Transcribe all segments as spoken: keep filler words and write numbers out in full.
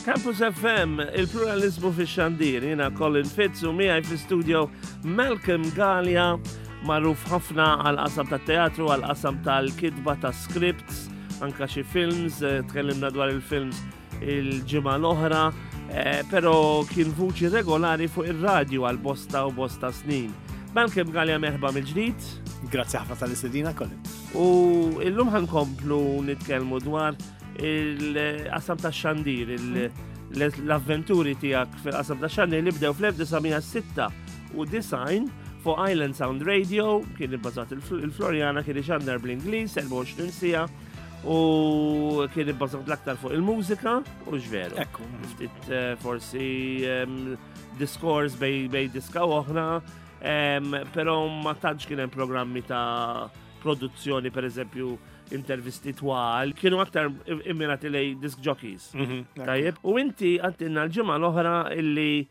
Campus F M, il-pluralizmu fi xandir, jiena Colin Fitz u miegħi fi studio Malcolm Galea, magħruf ħafna għal qasam ta' teatru, għal qasam tal-kitba ta' scripts, anka xi films, eh, tkellimna dwar il-films il-ġimgħa l-oħra, eh, pero kien vuċi regolari fuq ir-radju għal bosta u bosta snin. Malcolm Galea, merħba mill-ġdid. Grazzi ħafna tal-istedina, Colin. U illum ħa nkomplu nitkellmu dwar il-qasam ta' xandir, l-avventuri tiegħek fil-qasam ta' xandir li bdew fl-elf disa' mija u sitta u disgħin fuq Island Sound Radio, kien ibbażat il-Floriana, kien ixandar bl-Ingliż, erbgħa u għoxrin siegħa, u kien ibbażat l-aktar fuq il-mużika, u veru. Ekku. Ftit eh, forsi em, diskors bejn bejn diska u oħra, em, pero ma tantx kien hemm programmi ta' produzzjoni, per eżempju, intervisti twal, kienu aktar immirati lejn disc jockeys. Tajjeb, u inti għedtilna l-ġimgħa l-oħra illi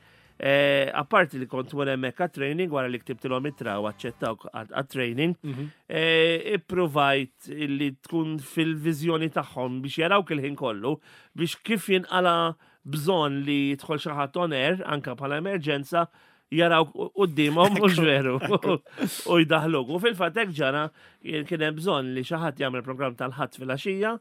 eh, apparti li kont wara hemmhekk għat-training, wara li ktibtilhom ittra u aċċettawk għat-training, eh, ipprovajt illi tkun fil-viżjoni tagħhom biex jarawk il-ħin kollu, biex kif jinqala bżonn li jidħol xi ħadd on air, anka bħala emerġenza, jaraw qudiemhom, u veru, u jdaħluk. U fil-fatt hekk ġara. Kien hemm bżonn li xi ħadd jagħmel programm tal-Ħadd fil-għaxija,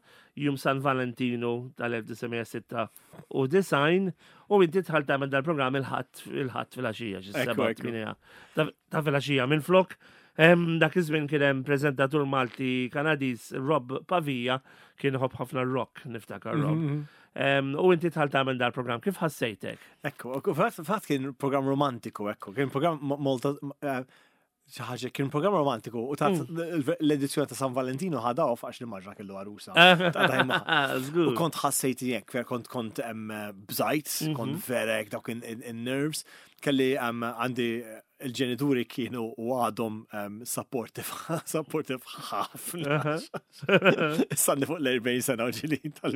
jum San Valentinu tal-elf disa' mija u sitta u disgħin, u inti dħalt tagħmel dal-programm il-Ħadd il-Ħadd fil-għaxija, xi Ekku, seba' ekku. tmienja ta' ta' fil-għaxija minn flok. Em, Dak iż-żmien kien hemm preżentatur Malti Kanadiż, Rob Pavia, kien iħobb ħafna rock, niftakar Rob. Em, U inti dħalt tagħmel dal-programm, kif ħassejtek? Ekku, ekku, fatt fatt kien program romantiku, ekku, kien program mo- molta, eh, xi ħaġa, kien program romantiku u ta' l-edizzjoni ta' San Valentino ħada off għax li maġra kellu għarusa. Ta' dajma. Żgur. U kont ħassejt jekk, ver kont kont em, bżajt, kont verek dawk in-nerves. Kelli em, għandi il-ġenituri kienu u għadhom em, supportive, supportive ħafna. Sanni fuq l-erbgħin sena u ġili tal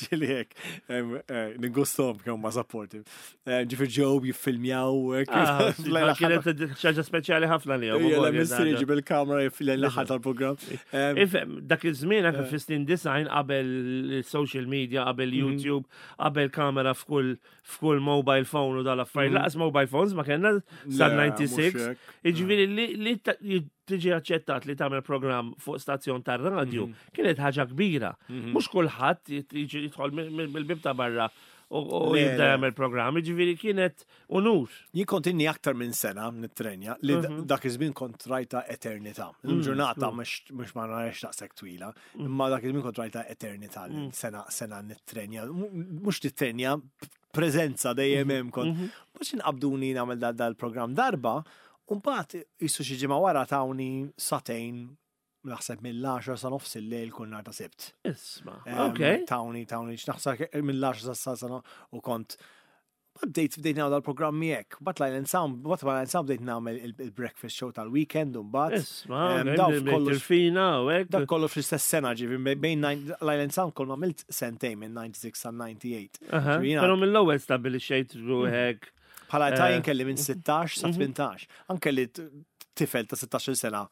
ġili hekk, em, eh, ningustom kemm ma supportive. Eh, Ġifier ġew jiffilmjaw hekk. Ah, kienet ħaġa speċjali ħafna li Jella missieri ġib il-kamera jiffilmja l-aħħar tal-programm. Em, Ifhem, dak iż-żmien anke fis-snin disgħin, qabel social media, qabel YouTube, qabel kamera f'kull f'kull mobile phone u dal-affarijiet. Lanqas mobile phones ma kellna sa Le, disgħa. Mhux hekk. Jiġifieri li li ta- tiġi aċċettat li tagħmel programm fuq stazzjon tar-radju kienet ħaġa kbira. Mhux kulħadd jiġi jidħol mill-bib ta' barra u u Le, jibda le. jagħmel programm. Jiġifieri kienet unur. Jien kont inni aktar minn sena nittrenja li Mhm. dak iż-żmien kont rajta eternità. Mm, Il-ġurnata mhux mhux ma narax daqshekk twila, imma dak iż-żmien kont rajta eternità li Mm. sena sena nittrenja. Mhux nittrenja, preżenza dejjem hemm kont. Mhm. Mhux inqabduni nagħmel dal- dal-programm darba, u mbagħad jissu xi ġimgħa wara tawni sagħtejn, naħseb mill-għaxra sa nofs il-lejl kull nhar ta' Sibt. Isma', Em, ok. Tawni, tawni, x'naħseb mill-għaxra sa sa u kont bdejt bdejt nagħmel dal-programmi hekk. Bat l-Island Sound, bat l-Island Sound bdejt nagħmel il- il-breakfast show tal-weekend u mbagħad. Isma', Em, ok, daw bdejt kollox- tirfina u hekk. Dak kollu fl-istess sena, ġifi bejn nine- l-Island Sound kol ma għamilt sentejn minn disgħa u disgħin sa disgħa u tmienja u disgħin. Aha, Ġifieri jiena Però mill-ewwel stabbilixxejt ruħek. Bħala ta' Eh. jien kelli minn sittax sa tmintax. Anke li t- tifel ta' sittax-il sena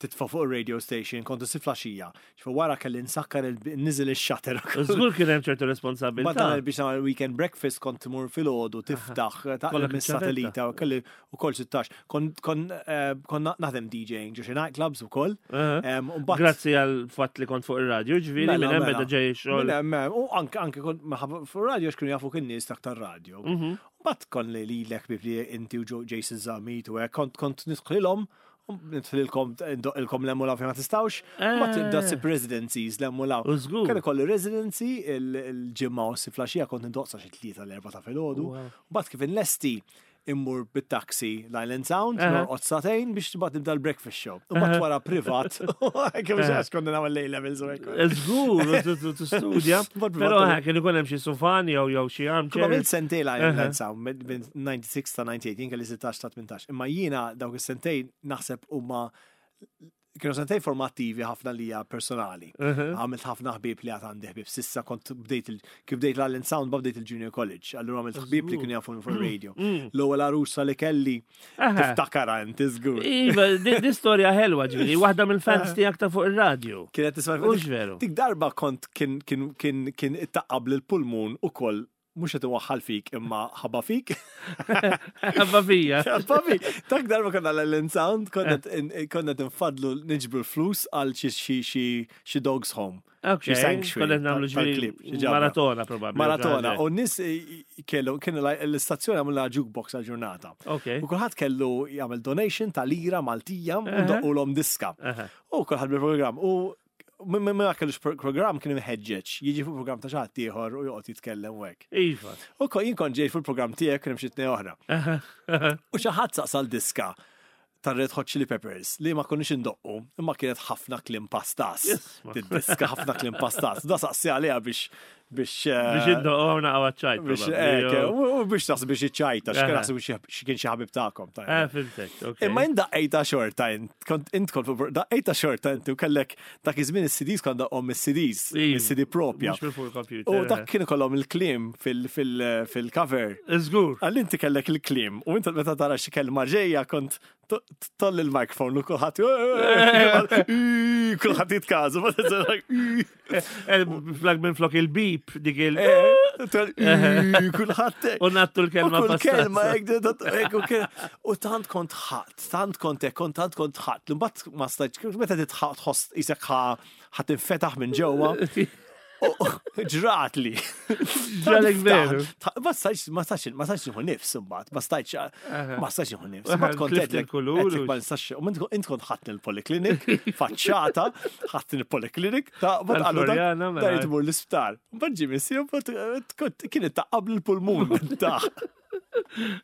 titfa' fuq il-radio station, kontu si flaxija. Ġifi wara kelli nsakkar il-niżel il-shutter. Żgur kien hemm ċertu Ma responsabilità. dan biex nagħmel weekend breakfast kont timur filgħodu tiftaħ Kollok taqleb mis-satellita u kelli ukoll sittax. Kon kon eh, kon naħdem DJing ġo xi nightclubs ukoll. Aha. Em, u mbagħad- Grazzi għal fatt li kont fuq ir-radju, ġifieri Mela, minn hemm mela. beda ġej xogħol. Mela, mela, U anke anke kont maħab fuq radio x'kienu jafu kien nies tak tar-radio. Mhm. Mbagħad kon li lilek bib li inti u Joe- Jason Zammit u hekk kont kont nidħlilhom, nidħlilkom ilkom l-emmulaw fejn ma tistgħux, mbagħad tibda ssib residencies l-emmulaw. U żgur. Kien ikolli residency il-ġimgħa u s-flaxija kont indoqsa xi tlieta l-erba' ta' filgħodu. Wow. Mbagħad kif inlesti immur bit-taxi l-Island Sound, Aha. norqod sagħtejn biex tibgħat nibda l-breakfast show. U mbagħad wara privat, kemm xi konna nagħmel A levels u hekk. Żgur, u tu- tu studja. Mbagħad Però privat- ha, kien ikun hemm xi sufan jew jew xi Kull armchair. għamilt sentejn l-Island Sound minn minn disgħa u disgħin sa disgħa u tmienja, jien kelli sittax ta' tmintax. Imma jiena dawk is-sentejn naħseb huma kienu sentejn formattivi ħafna lija personali. Għamilt ħafna ħbieb li għad għandi ħbieb. S'issa kont bdejt il- kif bdejt l-Island Sound, bdejt il-Junior College. Allura għamilt ħbieb li kienu jafu fuq radio. L-ewwel arusa li kelli Aha. tiftakara inti żgur. Iva, di di storja ħelwa, ġifieri, waħda mill-fans tiegħek ta' fuq ir-radju. Kienet tisma' Hux veru. Dik darba kont kien kien kien kien ittaqqab l pulmun ukoll Mhux qed inwaħħal fik imma ħabba fik. Ħabba fija. Ħabba fik. Dak darba konna l Sound, konna konna tinfadlu niġbru l-flus għal xi xi xi xi dogs home. Ok, Xi sanctuary konna nagħmlu tal-klieb, xi ġifieri ġabra. Maratona probabbli. Maratona. U n-nies kellu, kienu l-istazzjoni għamlu jukebox għal-ġurnata. Ok. U kulħadd kellu jagħmel donation ta' lira Maltija u Aha. doqqulhom diska. Aha. U kulħadd bil-programm. U minn minn ma kellux program kien imħeġġeġ, jiġi fuq program ta' xi ħadd ieħor u joqgħod jitkellem u hekk. Iva. U ko jien kont ġej fuq il-programm tiegħek kien hemm xi tnejn oħra. U xi ħadd saqsal diska ta' Red Hot Chili Peppers li ma konniex indoqqu, imma kienet ħafna kliem pastas. Isma. Diska ħafna kliem pastas. Da saqsi għaliha biex biex eh, Biex iddoqgħu għaċ-ċajt. biex probabbli, eh, u u biex taħseb biex iċċajta, x'kien Aha. naħseb xi kien xi ħabib tagħkom. tajjeb. Eh, fhimtek, ok. Imma jien daqqejta xorta, int kont int kont fuq- daqqejta xorta inti u kellek dak iż-żmien is-C Ds kont daqqhom is-C Ds, Iva. is-C D propja. Mhux minn fuq il-computer. U dak kienu kollhom il-kliem fil-cover. Żgur. Għal inti kellek il-kliem u inti meta tara xi kelma ġejja kont toll il-mikrofon u kulħadd kulħadd jitkażu. Flok minn flok il-beep, dik il- Kulħadd. U nattu l-kelma U kull kelma pastazza. hekk, u kien- U tant kont ħadd, tant kont hekk, kont tant kont ħadd. Mbagħad ma stajtx, meta titħaq tħoss isek ħa tinfetaħ minn ġewwa. U ġrat li. Ġralek veru. Ma stajtx, ma stajtx, ma stajtx nieħu nifs imbagħad, ma stajtx, ma stajtx nieħu nifs. Mbagħad kont Tlift għedtlek- il-kulur għedtlek u- ma nistax, u int kont ħadd il-poliklinik, faċċata, ħadd il-poliklinik, ta' mbagħad qalu dak- Tal-Floriana, mela. dar jitmur l-isptar. Mbagħad ġie missier, mbagħad kienet taqab l-pulmun taħ.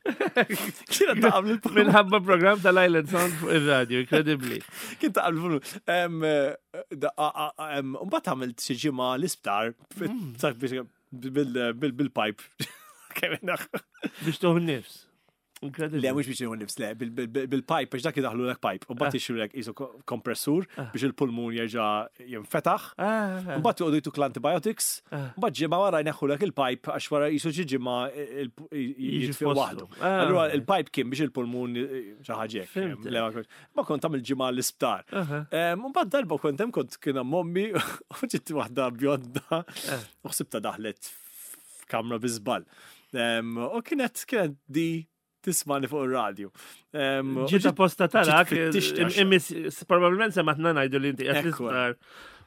Kienet taqab l-pulmun. Minħabba program tal-Island Sound fuq il-radio, incredibly. Kien taqab l-pulmun. Em, eh, da- a- a- em, Mbagħad għamilt xi ġimgħa l-isptar sak biex- bil- bil- bil-pipe. Kemm naħ. Biex tuħu nifs. Incredibly. Le, mhux biex nieħu nifs, le, bil- bil- bil-pipe, biex dak idaħlu l pipe. U mbagħad jixxu qisu kompressur biex il-pulmun jerġa' jinfetaħ. Ah, Mbagħad joqogħdu jtuk l-antibiotics, Ah. mbagħad ġimgħa wara jneħħulek il-pipe għax wara jisu xi ġimgħa il- Jiġi jitfi f'postu. waħdu. Ah. Allura il-pipe kien biex il-pulmun xi ħaġa hekk. Fhimt. Le, ma kontx- Ma kont tagħmel ġimgħa l-isptar. Aha. Em, Mbagħad darba kont hemm kont kien hemm ommi u ġiet waħda bjonda u ħsibta daħlet f'kamra bi żball. Em, U kienet kienet di tismani fuq ir-radju. Em, u Ġiet apposta tarak, ġiet fittixti għax- immis, probabilment sematna ngħidu li inti qed Ekku. l-isptar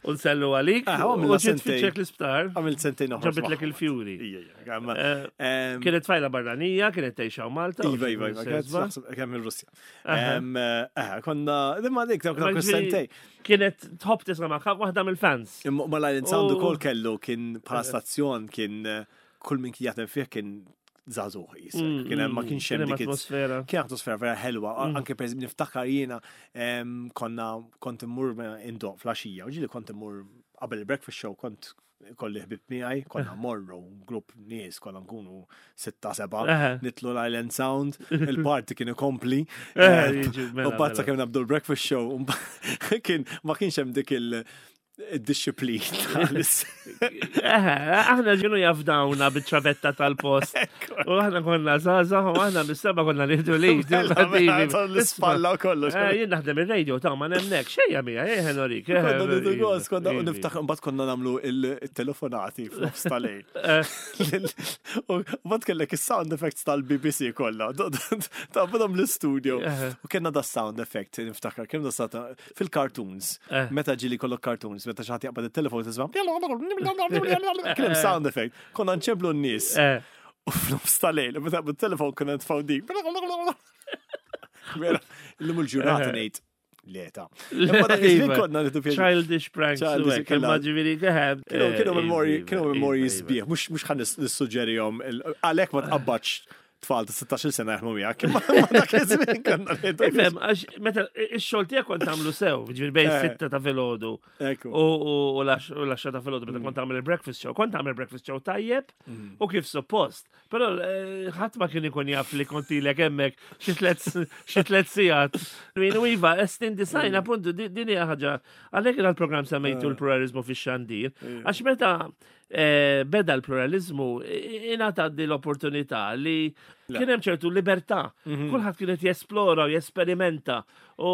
u nsellu għalik. Ah, U għamilna ġiet sentejn. tfittxek l-isptar. Għamilt sentejn oħra. Ġabitlek il-fjuri. Ija, ija, għamma- Eh, em, Kienet tfajla barranija, kienet tgħix Malta. u Iva, iva, iva, kienet sezba. naħseb kemm il-Russja. Aha. Em, eh, Konna, imma dik, dawk Ma dawk ġifieri- sentej. Kienet tħobb tisma' ma' waħda mill-fans. Imma ma l-Island Sound U- ukoll kellu kien bħala stazzjon kien eh, kull min kien jaħdem fih kien żagħżugħ jisek. Mm, Kien hemm ma mm, kienx kien hemm hemm dik it- atmosfera. Kien atmosfera vera ħelwa, Mm. anke per eżempju niftakar jiena em, konna kont immur indoq flaxija, u ġieli kont immur qabel il-breakfast show kont kolli ħbib miegħi, konna morru grupp nies, konna nkunu sitta seba, Aha. nitlu l-Island Sound, il-party kien ikompli. Eh, eh, jiġi, mela, U mbagħad mela. sakemm nabdu l-breakfast show, u mbagħad kien ma kienx hemm dik il- il-disciplina. Eh, aħna ġinu jafdawna bit-ċavetta tal-post. U aħna konna zaza, u aħna bis-seba konna nieħdu li. L-ispalla u kollox. Eh, jien naħdem il-radio ta' ma nemnek, xejja mija, eh, norik. eh, Konna nieħdu gost, konna iva. niftaħ, mbagħad konna nagħmlu il-telefonati f'nofs tal-lejl. Eh, U mbagħad kellek is-sound effects tal-B B C kollha. Ta' bidhom l-studio. Eh. U kellna da sound effect, niftakar, kien da sound fil-cartoons. Eh. Meta ġieli kollok cartoons, meta xi ħadd jaqbad it-telefon tisma'. Kien hemm sound effect. Konna nċemplu n-nies. eh. U f'nofs tal-lejl, u meta bit-telefon konna nitfgħu dik. Vera, illum il-ġurnata ngħid leta. Imma dak iż-żmien Iva. konna nieħdu pjaċir. Childish pranks. Childish, u hekk, kella- imma ġifieri, eh, Kienu kienu eh, memorji, iva, kienu iva, memorji iva. sbieħ, mhux mhux ħa nissuġġerihom għalhekk ma tqabbadx tfal ta' sittax-il sena jaħdmu miegħek, imma ma dak iż-żmien konna nieħdu Ifhem, għax meta ix-xogħol tiegħek kont tagħmlu sew, ġifieri bejn Eh. sitta ta' filgħodu Ekku. u u l-għaxra ta' filgħodu meta kont tagħmel il-breakfast show, kont tagħmel breakfast show tajjeb u kif suppost. Però eh, ħadd ma kien ikun jaf li kont ilek hemmhekk xi tliet xi tliet sigħat. U iva, estin design appuntu di- din hija ħaġa għalhekk il-programm semmejtu l-pluralizmu fix-xandir. Għax meta eh, beda l-pluralizmu, ingħata di l-opportunità li kien hemm ċertu libertà. Mhm. Kulħadd kien qed jesplora u jesperimenta u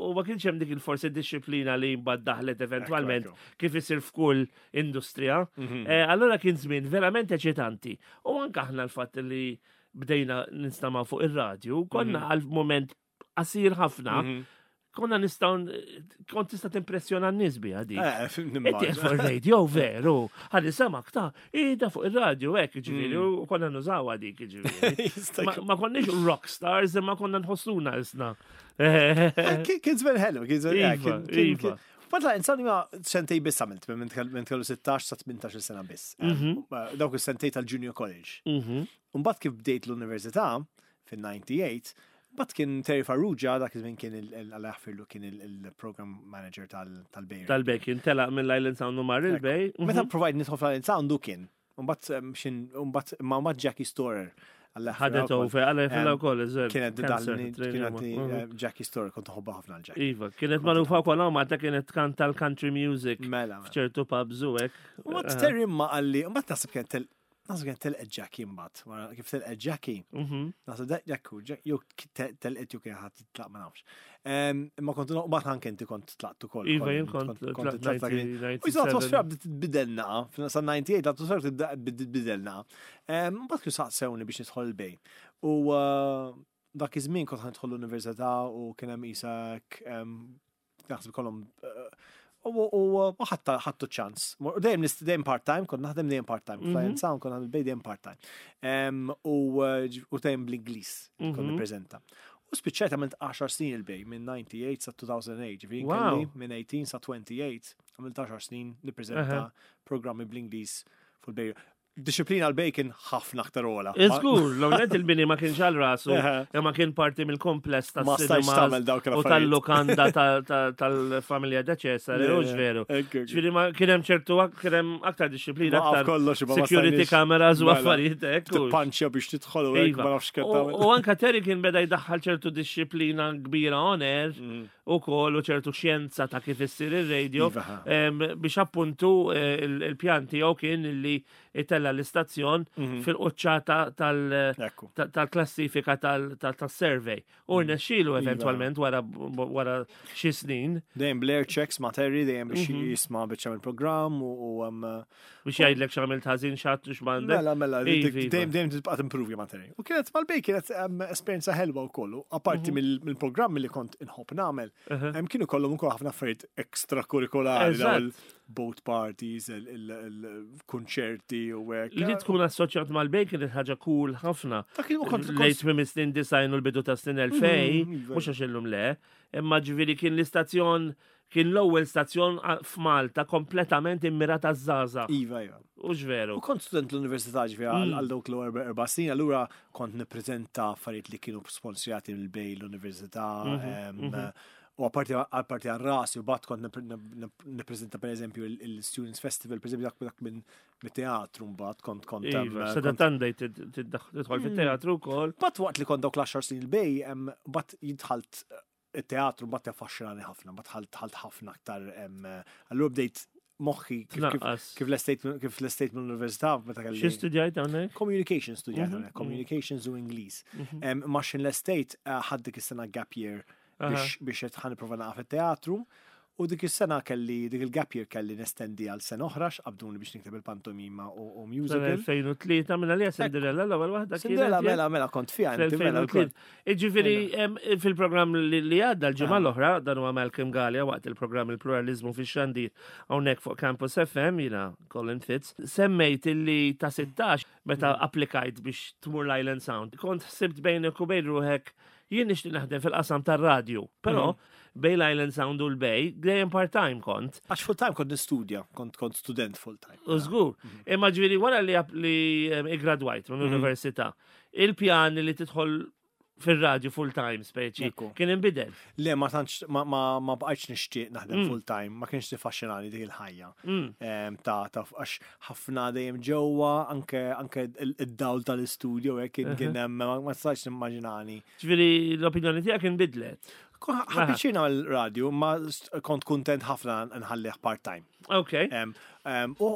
u ma kienx hemm dik il-forsi dixxiplina li mbagħad daħlet eventwalment Ekku, kif isir f'kull industrija. Mhm. Eh, Allora kien żmien verament eċitanti. U anke aħna l-fatt li bdejna ninstama' fuq ir-radju, konna Mhm. għal moment qasir ħafna, Mhm. konna nistgħu kont tista' timpressjona n-nies biha dik. Eh, Inti nimmaġina. fuq il-radio, veru. Ħalli samak ta' ida fuq il-radio, hekk, ġifieri, Mm. u konna nużawha dik, ġifieri. Jista' Ma jkun. ma konniex rock stars, imma konna nħossuna isna. Eh, Kien kien żmien ħelu, kien żmien eh, Iva, kien- kien- iva. kien- But la, insani ma sentej biss għamilt, minn minn kellu sittax sa tmintax-il sena biss. Mhm. Eh, Dawk is-sentej tal-Junior College. Mhm. Mbagħad kif bdejt l-università fin-disgħa u disgħin, mbagħad kien Terry Farrugia, dak iż-żmien kien il- Alla jaħfirlu, kien il-program manager tal-Bay. Tal-Bay kien telaq mill-Island Sound u mar il-Bay. Meta provajt nidħol fl-Island Sound du kien. Mbagħad em, xin mbagħad ma mbagħad Jackie Storer. Alla jaħfirha Ħadet wkoll. over, għalla jfilla Em, u koll, eżer. Kienet dalni, kienet eh, Jackie Storer, kont nħobbha ħafna l-Jackie. Iva, kienet magħrufa wkoll Malta, kienet tkanta l-country music Mela. mela. f'ċertu pubs u hekk. Mbagħad Terry ma qalli, mbagħad naħseb kien tel naħseb kien telqet Jackie mbagħad. Wara kif telqet Jackie, Mhm. naħseb dak Jackie, jew telqet jew kien ħadd titlaq, ma nafx. Em, Imma kont mbagħad anke inti kont tlaqt ukoll. Iva, kont- jien kont kont tlaqt tlaqt dak il- U jisa l-atmosfera bdiet titbidel naqa, sa disgħa u disgħin l-atmosfera bdiet titbidel naqa. Em, Mbagħad kienu saqsewni biex nidħol il-Bay. U uh, dak iż-żmien kont ħa nidħol l-università u kien hemm isak em, naħseb kollhom uh, u u u ħatta ħattu ċans. U dejjem nist dejjem part-time, kont naħdem dejjem part-time. Mhm. Flying Sound kont naħdem dejjem part-time. Em, U uh, ġ- u dejjem bl-Ingliż kont Mhm. nippreżenta. U spiċċajt għamilt għaxar snin il-Bay, minn disgħa u disgħin sa elfejn u tmienja, ġifieri Wow. kelli minn tmintax sa tmien u għoxrin, għamilt għaxar snin nippreżenta Aha. programmi bl-Ingliż fuq il-Bay. Dixxiplina l-Bay kien ħafna aktar ogħla. Iżgur, l-għonet il-bini ma kienx għal rasu, Eħe. imma kien parti mill-kompless ta' Ma stajtx tagħmel dawk u l-affarijiet. tal-lukanda ta- ta- tal-familja da Cesare, Le, u le. veru. Ekku, ekku. Ġifieri ma kien hemm ċertu kien hemm aktar dixxiplina, Waqaf aktar kollox, imma ma security stajniex. cameras u Mela. affarijiet hekk. u- Tippanċja biex tidħol u hekk Iva. ma nafx kemm U tagħmel. u anka Terry kien beda jdaħħal ċertu dixxiplina kbira on air Mm. u kol u ċertu xjenza ta' kif issir ir-radio Iva, ha. em, biex appuntu eh, il- il-pjan tiegħu kien li itella l-istazzjon fil-quċċata tal- Ekku. ta- tal-klassifika tal- tal- tas-survey. U rnexxielu Iva. eventwalment wara wara xi snin Dejjem Blair checks ma' Terry, dejjem biex Mhm. jisma' biex jagħmel programm u u, um, biex jgħidlek x'għamilt ħażin x'għadt u x'm'għandek. Mela, mela, Iva, iva. dejjem dejjem tibqa' timprovja ma' Terry. U kienet mal-Bay kienet um, esperjenza ħelwa wkoll. U Apparti Mhm. mill- mill-programmi li kont inħobb nagħmel, Uh-huh. hemm kienu kollhom ukoll ħafna affarijiet extracurriculari, daw Eżatt. il-boat parties, il-konċerti u hekk. Li tkun assoċjat mal-Bay kienet ħaġa cool ħafna. Dak il- kont- kont- Lejt minn snin disgħin u l-bidu ta' snin elfejn, Mm, iva. mhux għax illum le, imma ġifieri kien l-istazzjon kien l-ewwel stazzjon a- f'Malta kompletament immirata żgħażagħ. Iva, iva. U veru. U kont student l-università ġifieri għal Mm. għal dawk l erba' snin, allura kont nippreżenta affarijiet li kienu sponsorjati mill-Bay l-università. Mhm, em, U apparti apparti għal rasi, u bat kont nipre- nip- nippreżenta per eżempju il-Students Festival, per eżempju dak dak minn mit-teatru mbagħad kont kont em, Iva, kont- sada tandej tidħol fit-teatru wkoll. Bat waqt li kont dawk l-għaxar snin il-Bay, em, bat jidħalt il-teatru, bat jaffaxxinani ħafna, bat ħalt ħalt ħafna aktar. em, Allura bdejt moħħi kif kif Tnaqqas. kif l-estate kif l-estate mill-università meta kelli. Xi studjajt hawnhekk? Communications studjajt Mhm, hawnhekk, communications u Ingliż. Em, Ma xin l-estate eh, ħadd dik is-sena gap year biex biex qed ħa nipprova naqa' fit-teatru. U dik is-sena kelli, dik il-gap year kelli nestendi għal sena oħra x'qabduni biex nikteb il-pantomima u, u musical. elfejn u tlieta minna li Cinderella l-ewwel waħda Cinderella kienet, mela mela kont fiha inti mela fl-elfejn u tlieta. wkoll. Iġifieri em, fil-programm li li għadda l-ġimgħa Ah. l-oħra, dan huwa Malcolm Galea waqt il-programm Il-Pluralizmu fix-xandir hawnhekk fuq Campus F M, jiena Colin Fitz, semmejt illi ta' sittax meta Mm. applikajt biex tmur l-Island Sound. Kont ħsibt bejnek u bejn ruħek jien nixtieq naħdem fil-qasam tar-radju, però Mm. bejn l-Island Sound u l-Bay dejjem part-time kont. Għax full time kont nistudja, kont kont student full time. U żgur. Imma ġifieri wara li app- li em, iggradwajt minn università, il-pjan li tidħol fil-radju full time speċi Ekku. kien inbidel. Le, ma tantx ma ma ma bqajtx nixtieq naħdem Mm. full time, ma kienx tiffaxxinani dik il-ħajja. Mm. Em, Ta' ta' għax ħafna dejjem ġewwa, anke anke il- id-dawl tal-istudio hekk kien kien hemm ma ma tistax nimmaġinani. Ġifieri l-opinjoni tiegħek inbidlet. Ħadt nagħmel radio, ma kont kontent ħafna nħallih part-time. Ok. U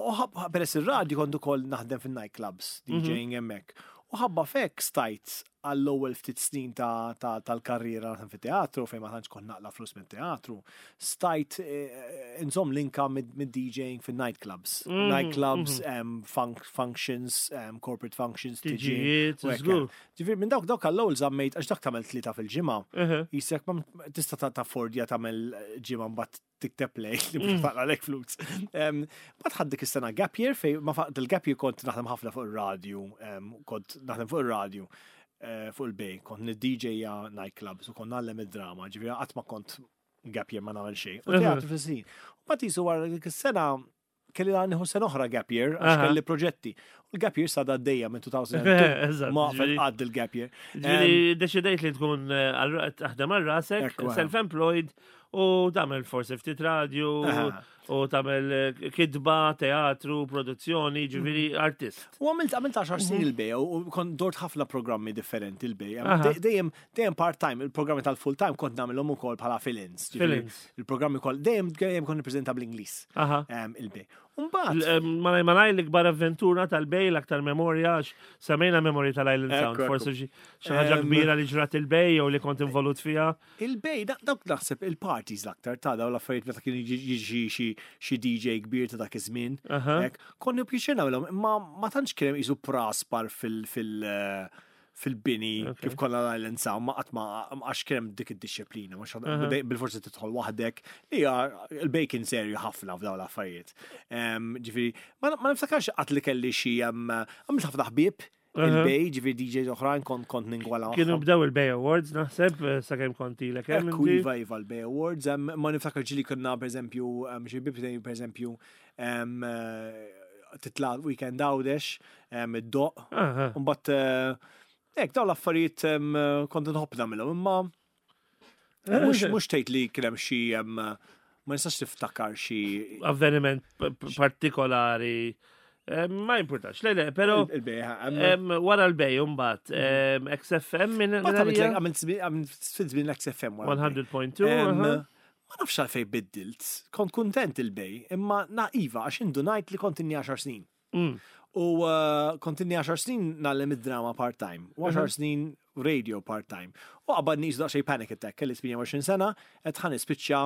peress il-radio kont ukoll naħdem fin-nightclubs, DJing hemmhekk. U ħabba f'hekk stajt għall-ewwel ftit snin tal-karriera naħdem fit-teatru, fejn ma tantx kont naqla flus minn teatru, stajt eh, nżomm l-income mid-DJing fin-nightclubs. Mhm, nightclubs, mhm. functions, corporate functions, tiġijiet. Ġifieri minn dawk dawk għall-ewwel żammejt, għax dak tagħmel tlieta fil-ġimgħa. Jisek ma tista' taffordja tagħmel ġimgħa, mbagħad tikteb play li mhux mm. taqla' flus. Mbagħad ħadt dik is-sena gap year, fej ma faqt il-gap year kont naħdem ħafna fuq ir-radio, kont naħdem fuq ir-radio eh, fuq il-Bay, kont nid-D J nightclubs u kont ngħallem id-drama, ġifieri qatt ma kont gap year ma nagħmel xejn. U teatru fis-snin. U mbagħad jisu wara dik is-sena kelli nieħu sena oħra gap year għax kelli proġetti. U l-gap year s'għadha għaddejja minn elfejn u tnejn. Ma għad il-gap year. Ġifieri deċidejt li tkun eh, taħdem għal rasek, self-employed, u tagħmel forsi ftit radio u tagħmel eh, kitba, teatru, produzzjoni, ġifieri mhm. artist. U għamilt għamilt għaxar snin mhm. il-Bay u kont dort ħafna programmi differenti il-Bay. Dejjem dejjem part-time, il-programmi tal-full time kont nagħmilhom ukoll bħala fill-ins. Il-programmi kol dejjem dejjem kont nippreżenta bl-Ingliż il-Bay. Mbagħad malaj malaj l-ikbar avventura tal-Bay, l-aktar memorja, għax semmejna memorja tal-Island Sound, forsi xi ħaġa kbira li ġrat il-Bay jew li kont involut fiha. Il-Bay, dawk naħseb il-parties l-aktar ta' daw l-affarijiet meta kien jiġi xi D J kbir ta' dak iż-żmien. Konni pjaċir nagħmilhom, imma ma tantx kien hemm qisu praspar fil- fil- fil-bini kif konna l-Island Sound, ma qatt ma għax kien hemm dik id-disciplina, mhux bil-forsi tidħol waħdek, li hija il-Bay kien serju ħafna f'dawn l-affarijiet. Ġifieri, ma niftakarx qatt li kelli xi għamilt ħafna ħbieb il-Bay, ġifieri D Js oħrajn kont kont ningwala. Kienu bdew il-Bay Awards, naħseb, sakemm kont ilek hemm. Ekku, iva, iva, l-Bay Awards. Ma niftakar ġieli konna, per eżempju, xi ħbieb, per eżempju, titla' weekend Għawdex, id-doq. Mbagħad hekk dawn l-affarijiet kont nħobb nagħmilhom, imma mhux mhux tgħid li kien hemm xi, ma nistax tiftakar xi avveniment partikolari. Ma importax, le, le, pero wara l-Bay mbagħad X F M minn. Għamilt żmien l-X F M. mija u wieħed punt tnejn. Ma nafx għalfej biddilt, kont kontent il-Bay, imma na iva, għax indunajt li kont inni għaxar snin. Mm. U uh, kont inni għaxar snin ngħallem id-drama part-time, u għaxar snin radio part-time. U qabadni daqsxejn panic attack, kelli tmienja u għoxrin sena, qed ħa nispiċċa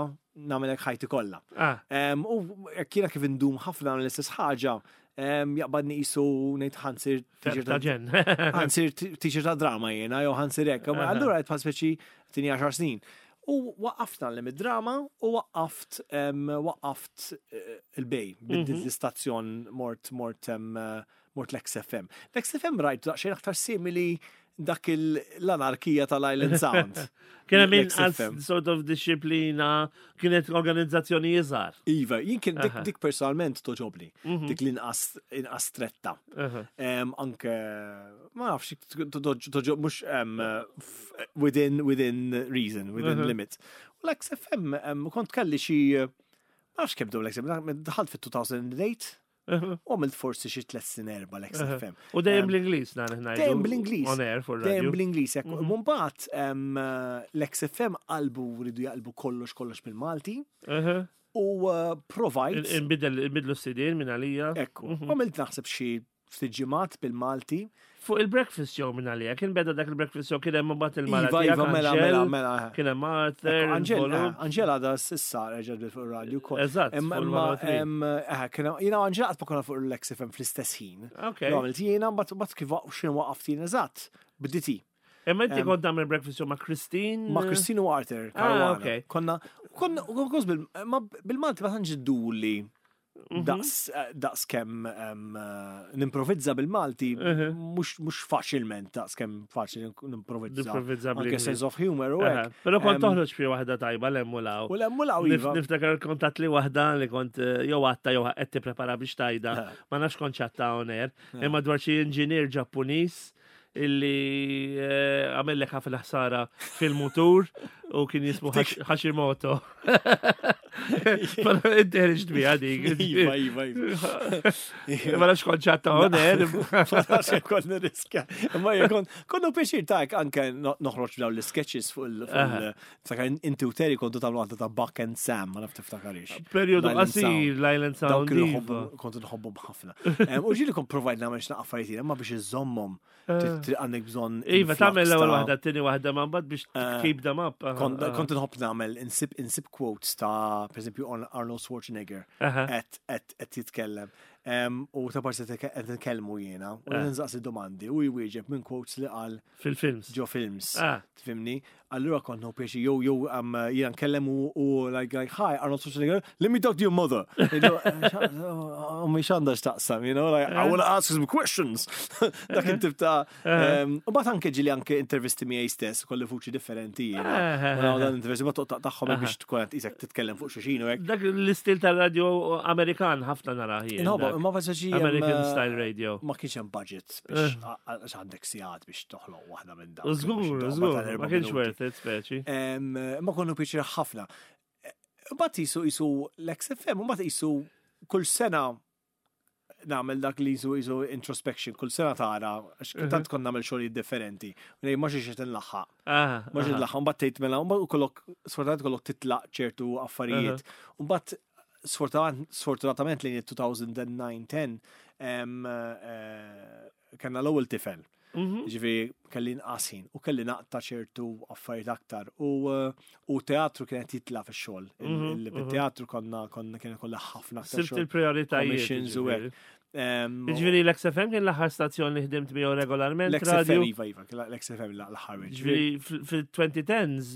nagħmelek ħajti kollha. Ah. U kiena kif indum ħafna l-istess ħaġa, jaqbadni qisu ngħid ħa nsir ħa nsir teacher ta' drama jiena, jew ħa nsir hekk. Allura qed bħal speċi tini għaxar snin. U waqqaft ngħallem id-drama u waqqaft waqqaft eh, il-Bay, biddilt mhm. l-istazzjon, mort mort mort l-X F M. L-X F M rajt daqsxejn aktar simili dak l-anarkija tal-Island Sound. Kien hemm inqas sort of disciplina, kienet organizzazzjoni iżgħar. Iva, jien kien dik, dik personalment togħġobni, mhm. dik l-inqas inqas stretta. Anke, ma nafx, toġob mhux within within reason, within limits. U l-X F M kont kelli xi, ma nafx kemm l-X F M, dħalt fit-elfejn u tmienja u għamilt forsi xi tliet snin, erba' l-X F M. U dejjem bl-Ingliż dan. Dejjem bl-Ingliż. On air for Dejjem bl-Ingliż. Mhm. Mbagħad l-X F M qalbu, ridu jaqlbu kollox kollox bil-Malti. U uh, provajt. Inbidlu s-sidin minn għalija. Ekku. Mhm. Għamilt naħseb xi ftit ġimgħat bil-Malti. Fuq il-breakfast show minn għalija, kien beda dak il-breakfast show, kien hemm mbagħad il-Mara. Iva, iva, mela, mela, mela. Kien hemm Arthur. Angela da s'issa reġgħet fuq il-radio. Eżatt. Imma jiena Angela qatt ma konna fuq l-X F M fl-istess ħin. Għamilt jiena, mbagħad kif x'in waqaft jien eżatt, bditi. Imma inti kont tagħmel breakfast show ma' Christine? Ma' Christine u Arthur. Ah, ok. Konna, konna, bil-Malti ma tantx idduli. Mhm. Daqs eh, daqs kemm eh, nimprovizza bil-Malti, mhm. mhux faċilment daqs kemm faċli nimprovizza. Anke sense of humor u hekk. Però kont toħroġ fi waħda tajba l-emmulaw. U l-emmulaw iva. Niftakar kontat li waħda li kont eh, jew għatta jew qed tipprepara biex tajda, ma nafx kont ċatta on air, imma dwar xi inġinier Ġappuniż illi għamellek ħafna ħsara fil-mutur u kien jismu Hashimoto. Però inti ħriġt biha dik. Iva, iva, iva. Ma nafx kont ċatta on air. Ma nafx jekk kont nirriskja. Imma jekk kont konnu pjaċir ta' anke no- noħroġ dawn l-sketches fuq il- fuq il- Ftakar inti u Terry kontu tagħmlu għadda ta' Buck and Sam, ma naf tiftakarix. Periodu L-Island qasir, Sound. l-Island Dawk Sound. kienu iva. nħobbu- kontu nħobbhom ħafna. Em, U ġieli kont provajt nagħmel xi affarijiet, imma biex iżommhom trid għandek bżonn Iva, influx tagħmel l-ewwel ta' waħda, t-tieni waħda, ma mbagħad biex Eh, keep them up. Aha, Kont aha. kont nħobb nagħmel insib insib quotes ta' per eżempju Arnold Schwarzenegger Aha. qed qed qed jitkellem. Em, U ta' parti qed nitkellmu jiena u Eh. nistaqsi domandi u jwieġeb minn quotes li qal Fil-films. ġo films. Ah. Tifhimni? Allura kont no pjaċi jew jew um, jiena nkellem u u like like hi Arnold Schwarzenegger, let me talk to your mother. You know, Ommi x'għandha x'taqsam, you know, like I want to ask some questions. Dak it-tip ta' um, U mbagħad anke ġieli anke intervisti miegħi stess, kolli vuċi differenti jiena. Eh, U nagħmel dan intervisti ma toqtaq tagħhom biex tkun qed isek titkellem fuq xulxin u hekk. Dak l-istil tal-radio Amerikan ħafna nara jien. Inħobba, dak. imma faċi American style radio. Ma kienx hemm budget biex għax għandek sigħat biex toħloq waħda minn dawk. U żgur, biex żgur, toħloq tal-erba' ma kienx minuti. worth it, speċi. Em, Ma konnu pjaċir ħafna. Mbagħad jisu jisu l-XFM, mbagħad jisu kull sena nagħmel dak li jisu jisu introspection, kull sena tara, għax tant kont nagħmel xogħlijiet differenti. U ngħid ma xiex qed inlaħħaq. Ah, Ma xiex aha. nlaħħaq, mbagħad tgħid mela, mbagħad kollok sfortunatament kollok titlaq ċertu affarijiet. U mbagħad sfortunat- sfortunatament lejn il-elfejn u disa-ten em, eh, kellna l-ewwel tifel. Mhm. Ġifieri kelli nqas ħin u kelli naqta ċertu affarijiet aktar u eh, u teatru kienet jitla fix-xogħol. Mhm, mhm. Il-teatru konna konna kien kollha ħafna aktar Sirt xogħol. il-prioritajiet. Commissions u ġifieri. hekk. Em, Ġifieri l-XFM kien l-aħħar stazzjon li ħdimt miegħu regolarment L-XFM radio. iva iva, l-XFM l-aħħar. Ġifieri fil-elfejn u għaxra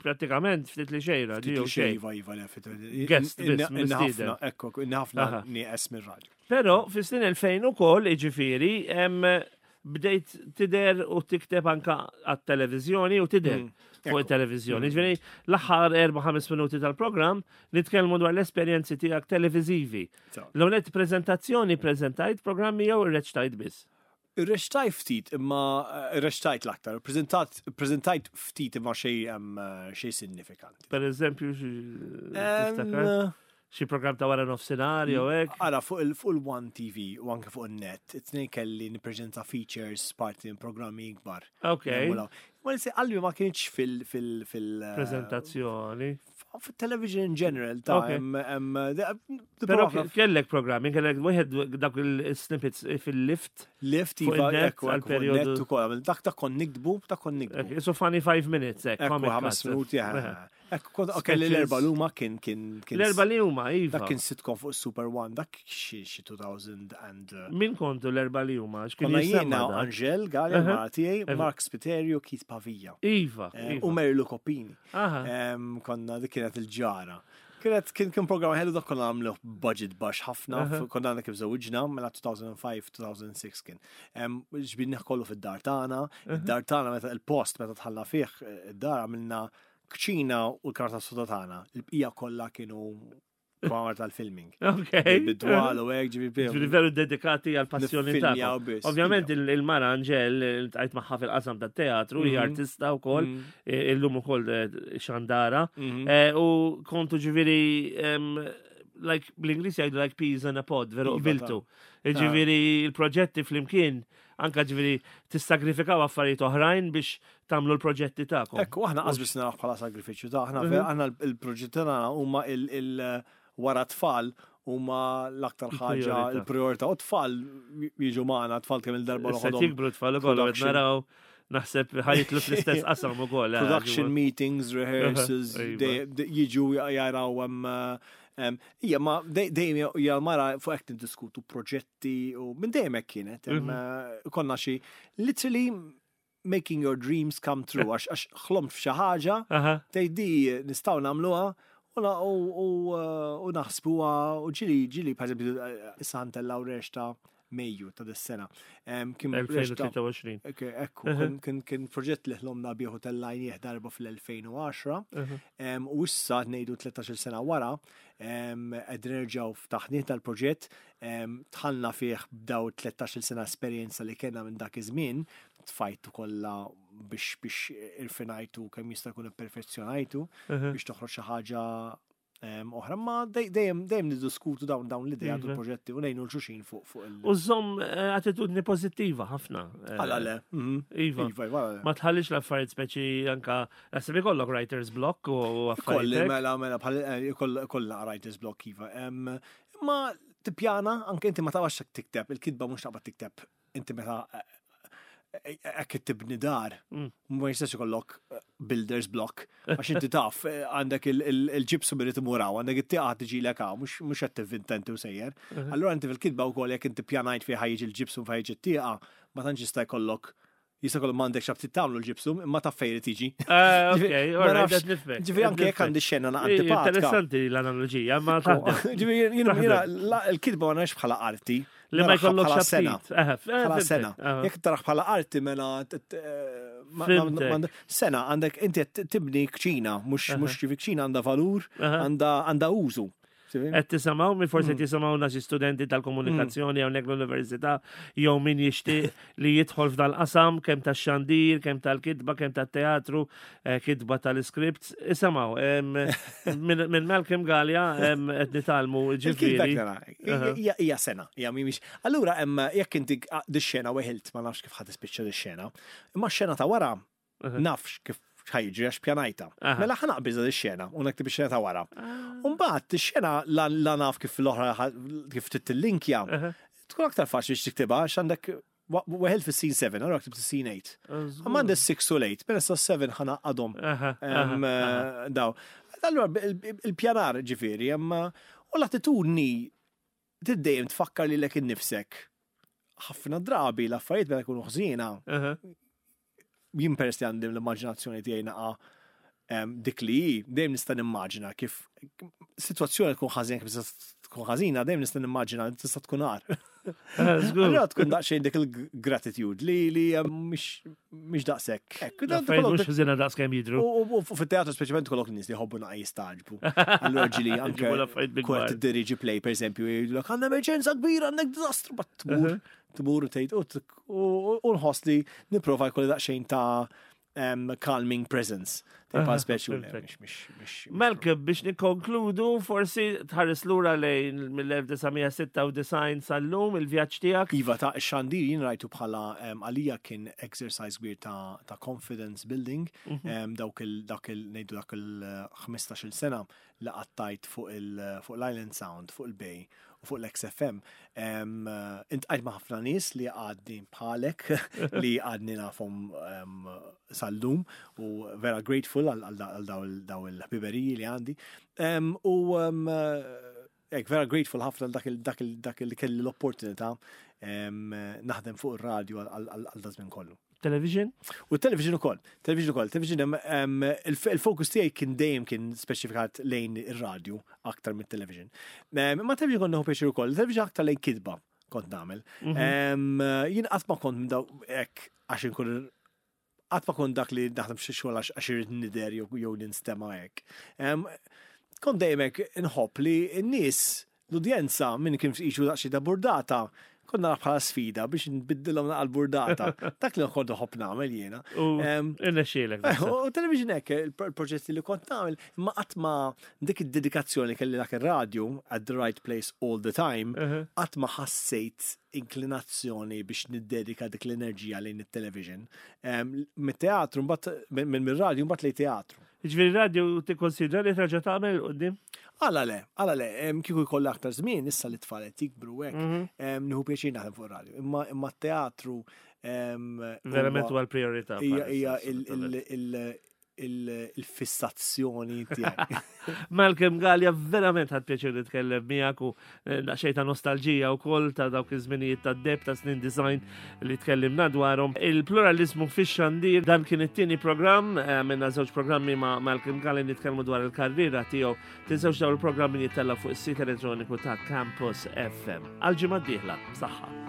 prattikament ftit li xejn radio xejn. Iva iva le fit- Guest biss, inni- inni mistieden. ħafna, ekku, inni ħafna Aha. nieqes mir-radio. Però fis-snin elfejn ukoll jiġifieri hemm bdejt tidher u tikteb anka għat-televiżjoni u tidher Mm, fuq ekku. it-televiżjoni. Ġifieri l-aħħar erba' ħames minuti tal-programm nitkellmu dwar l-esperjenzi tiegħek televiżivi. So. L-ewwel prezentazzjoni preżentajt programmi jew irreċtajt biss. Irreċtajt ftit imma eh, irreċtajt l-aktar, prezentat prezentajt ftit imma xej em, eh, xej sinifikanti. Per eżempju, xi- tiftakar? Em, Xi programm ta' wara nofsinhar jew hekk. Ara, fuq il- fuq il-One T V u anke fuq il-net, it-tnejn kelli nippreżenta features parti minn programmi ikbar. Ok. Ma li qalbi ma kienx fil- fil- fil- eh, Prezentazzjoni. Fil-television in general, ta' Ok. em- em, de- de- Però prova kellek programmi, kellek wieħed dak il-snippets fil-lift. Lift fuq iva, il-net ekku, għal ekku, fuq periodu- il-net ukoll. Dak ta' kon nikdbu, ta' kon nikdbu. So funny five minutes, ek. Ekku, comic ħames cuts. minuti, Eħe. Ekku, kont kelli Sketches. l-erba l-huma kien kien kien L-erba li huma, iva. Dak kien sitcom fuq Super One, dak xi xi elfejn and uh, Min kontu l-erba li huma? X'kien Konna jisemma jiena dak? Angel Galea, Aha. mara tiegħi, Eħe. Mark Spiterio, Keith Pavia. Iva. Eh, iva. U Mary Lou Coppini. Aha. Em, Konna dik kienet il-ġara. Kienet kien kien program ħelu dak konna għamlu budget baxx ħafna, Aha. konna għandna kif żewġna mela elfejn u ħamsa, elfejn u sitta kien. Em, Ġbidnih kollu fid-dar tagħna, id-dar tagħna meta il-post meta tħalla fih eh, id-dar għamilna kċina u l-karta soda tagħna. Il-bqija kollha kienu kamar tal-filming. Ok. Bid-dwal u hekk ġifieri Ġifieri veru dedikati għal passjoni Niffilmjaw tagħkom. biss, Ovvjament il- il-mara Angel tajt magħha fil-qasam tat-teatru, hija Mhm. artista wkoll, Mhm. eh, illum ukoll eh, xandara. Mhm. Eh, U kontu ġifieri em, like bl-Ingliż jgħidu like peas in a pod, veru Iva, qbiltu. Ġifieri il-proġetti flimkien anka ġifieri tissagrifikaw affarijiet oħrajn biex tagħmlu l-proġetti tagħkom. Ekku, aħna qas biss naraw bħala sagrifiċċju ta' aħna Mhm. aħna il-proġetti tagħna huma il- il wara tfal huma l-aktar ħaġa Il-priorità. il-priorità. U tfal jiġu magħna, tfal kemm il-darba Issa noħodhom jikbru tfal ukoll qed production. naraw naħseb ħajtlu fl-istess qasam ukoll. eh, Production ġifieri. meetings, rehearsals, Iva. dej- de- jiġu jaraw hemm em, Ija, ma dej- dejjem hija mara fuq hekk niddiskutu proġetti u minn dejjem hekk kienet. Em, Mhm. eh, Konna xi literally making your dreams come true għax għax ħlomt f'xi ħaġa Aha. tgħid di nistgħu nagħmluha u na- u- u eh, u naħsbuha u ġili ġili per eżempju eh, issa ntellgħu rexta Mejju ta' dis-sena. Em, Kien rexta elfejn u tlieta u għoxrin. Ok, ekku, kien- kien kien proġett li ħlomna bieħu tellajnieh darba fl-elfejn u għaxra, em, u issa ngħidu tlettax-il sena wara, em, qed nerġgħu ftaħnieh tal-proġett, em, dħalna fih b'daw tlettax-il sena esperjenza li kellna minn dak iż-żmien, tfajtu kollha biex biex irfinajtu kemm jista' jkun ipperfezzjonajtu biex toħroġ xi ħaġa em, oħra, ma dej- dejjem dejjem niddiskutu dawn dawn l-idea Iva. u l-proġetti u ngħinu 'l xulxin fuq fuq il- U żomm eh, attitudni pozittiva ħafna. eh, Għala le. mhm. Iva. Iva, iva, għala le. Ma tħallix l-affarijiet speċi anka, naħseb ikollok writer's block u Kolli, affarijiet. mela, mela, bħal eh, koll- kollha writer's block, iva. Em, Imma tippjana, anke inti ma tafx tikteb, il-kitba mhux taqbad tikteb. Inti meta eh, eh, hekk tibni dar, Mm. ma jistax ikollok eh, builder's block, għax inti taf, eh, għandek il- il- il-ġibsu irid imur hawn, għandek it-tieqa tiġi lek hawn, mhux mhux qed tivvinta inti u sejjer. Allura inti fil-kitba wkoll jekk inti pjanajt fejn ħa jiġi l-ġibsu fejn jiġi t-tieqa, ma tantx jista' jkollok jista' jkollok m'għandekx aptit tagħmlu l-ġibsum, imma taf fejn irid tiġi. Ah, Ok, Ġifieri, ma alright, nafx- qed nifhmek. Ġifieri anke jekk għandi xena na antipatika. Interessanti l-analogija, ma taħdem. Ġifieri jiena jiena la- il-kitba ma narax bħala arti. Li ma naraha jkollokx bħala sena. aptit. Eh, f- eh, Bħala fhimtek. sena. Ah. Jekk tarax bħala arti mela t- t- eh, ma- ma- Fhimtek. ma- sena għandek inti qed tibni kċina, mhux mhux ġifi kċina għandha valur, Aha. għandha għandha użu. Qed tisimgħu, mi Mm. forsi tisimgħu xi studenti tal-komunikazzjoni hawnhekk l-università jew min jixtieq li jidħol f'dal-qasam kemm tax-xandir, kemm tal-kitba, kemm tat-teatru, eh, kitba tal-scripts. Isimgħu, em, minn minn Malcolm Galea em, qed nitgħallmu Il-kitba ġifieri. nara, hija hija sena, hija mhix. Allura hemm jekk inti di xena weħilt ma nafx kif ħa tispiċċa di xena, imma x-xena ta' wara nafx kif ħa jiġri għax pjanajta. Aha. Mela ħa naqbiżha di xena u naktib ix-xena ta' wara. Umbagħad ix-xena la la naf kif l-oħra ħa- kif tittillinkja, tkun aktar faċli biex tiktibha għax għandek wa- weħilt fis-scene seven, allura ktibt is-scene eight. Imma għandek six u eight, mela sa seven ħa ngħaqqadhom. Aha, Em, aha, eh, Daw. Allura il- il-pjanar ġifieri, imma u l-attitudni tiddejjem tfakkar lilek innifsek. Ħafna drabi l-affarijiet meta jkunu ħżiena, aha. jien peress li għandi l-immaġinazzjoni tiegħi naqa em, dik li hi, dejjem nista' nimmaġina kif sitwazzjoni tkun ħażina kif tista' tkun ħażina, dejjem nista' nimmaġina li tista' tkun agħar. Eh, żgur. Allura tkun daqsxejn dik il-gratitude li li em, mhix mhix daqshekk. Hekk, dan L-affarijiet kollok mhux ħżiena daqs kemm jidhru. U u- u fit-teatru speċjalment kollok nies li jħobbu naqa jistagħġbu. Allura ġieli anke Ġibu l-affarijiet bil-kbar. kwart tiddiriġi play per eżempju, jgħidulek għandna emerġenza kbira, għandek diżastru, but tmur, tmur u tgħid u t- u u nħoss li nipprova jkolli daqsxejn ta' um, calming presence. Tipa speċi u le, perfect. mhix- mhix- mhix- Malcolm, biex nikkonkludu, forsi tħares lura lejn mill-elf disa' mija sitta u disgħin sal-lum il-vjaġġ tiegħek. Iva ta' xandir jien rajtu bħala um, għalija kien exercise kbir ta', ta' confidence building, um, dawk il, dak il, ngħidu dak il ħmistax-il sena li qattajt fuq il, fuq l-Island Sound, fuq il-Bay u fuq l-X F M. Um, Iltqajt ma' ħafna nies li għadni bħalek li għadni nafhom um, sal-lum u vera grateful għal għal għal daw il- daw il-ħbiberiji li għandi. Um, u um, Ek, vera grateful ħafna dak il dak il dak il kelli l-opportunità em, naħdem fuq ir-radju għal għal da żmien kollu. Television? U television ukoll, television ukoll, television em, em, il- il-fokus tiegħi kien dejjem kien speċifikat lejn ir-radju aktar mit-television. Em, Imma television kont nieħu pjaċir ukoll, television aktar lejn kitba kont nagħmel. Em, Jien qatt ma kont minn daw hekk għax inkun qatt ma kont dak li naħdem xi xogħol għax għax irrid nidher jew jew ninstema' hekk. Em, Kont dejjem hekk inħobb li n-nies, l-udjenza minn kien qisu daqsxejn ta' burdata, kont nara bħala sfida biex nbiddilhom naqa l-burdata. Dak li kont nħobb nagħmel jiena. U Em, irnexxielek. naħseb. U television hekk, il-proġetti li kont nagħmel, imma qatt ma dik id-dedikazzjoni kelli dak ir-radju at the right place all the time, Uh-huh. qatt ma ħassejt inklinazzjoni biex niddedika dik l-enerġija lejn it-television. Em, Mit-teatru, mbagħad minn mir-radju mbagħad lejn teatru. Ġifieri radio tikkonsidra li terġa' tagħmel quddiem? Għala le, għala le, em, kieku jkollha aktar żmien, issa li tfal qed jikbru hekk, em, nieħu pjaċir naħdem fuq ir-radju. Imma imma t-teatru em, Verament huwa- huwa l-priorità. hija bħalissa, hija il- assolutament. il- il- il- il-fissazzjoni tiegħi. Malcolm Galea, verament ħadt pjaċir nitkellem miegħek u eh, daqsxejn ta' nostalġija wkoll ta' dawk iż-żminijiet ta' deb ta' snin disgħin li tkellimna dwarhom. Il-pluralizmu fix-xandir, dan kien it-tieni programm, eh, minna żewġ programmi ma' Malcolm Galea nitkellmu dwar il-karriera tiegħu. Tinsewx dawn il-programmi jittella fuq is-sit elettroniku ta' Campus F M. Għal ġimgħa d-dieħla, saħħa.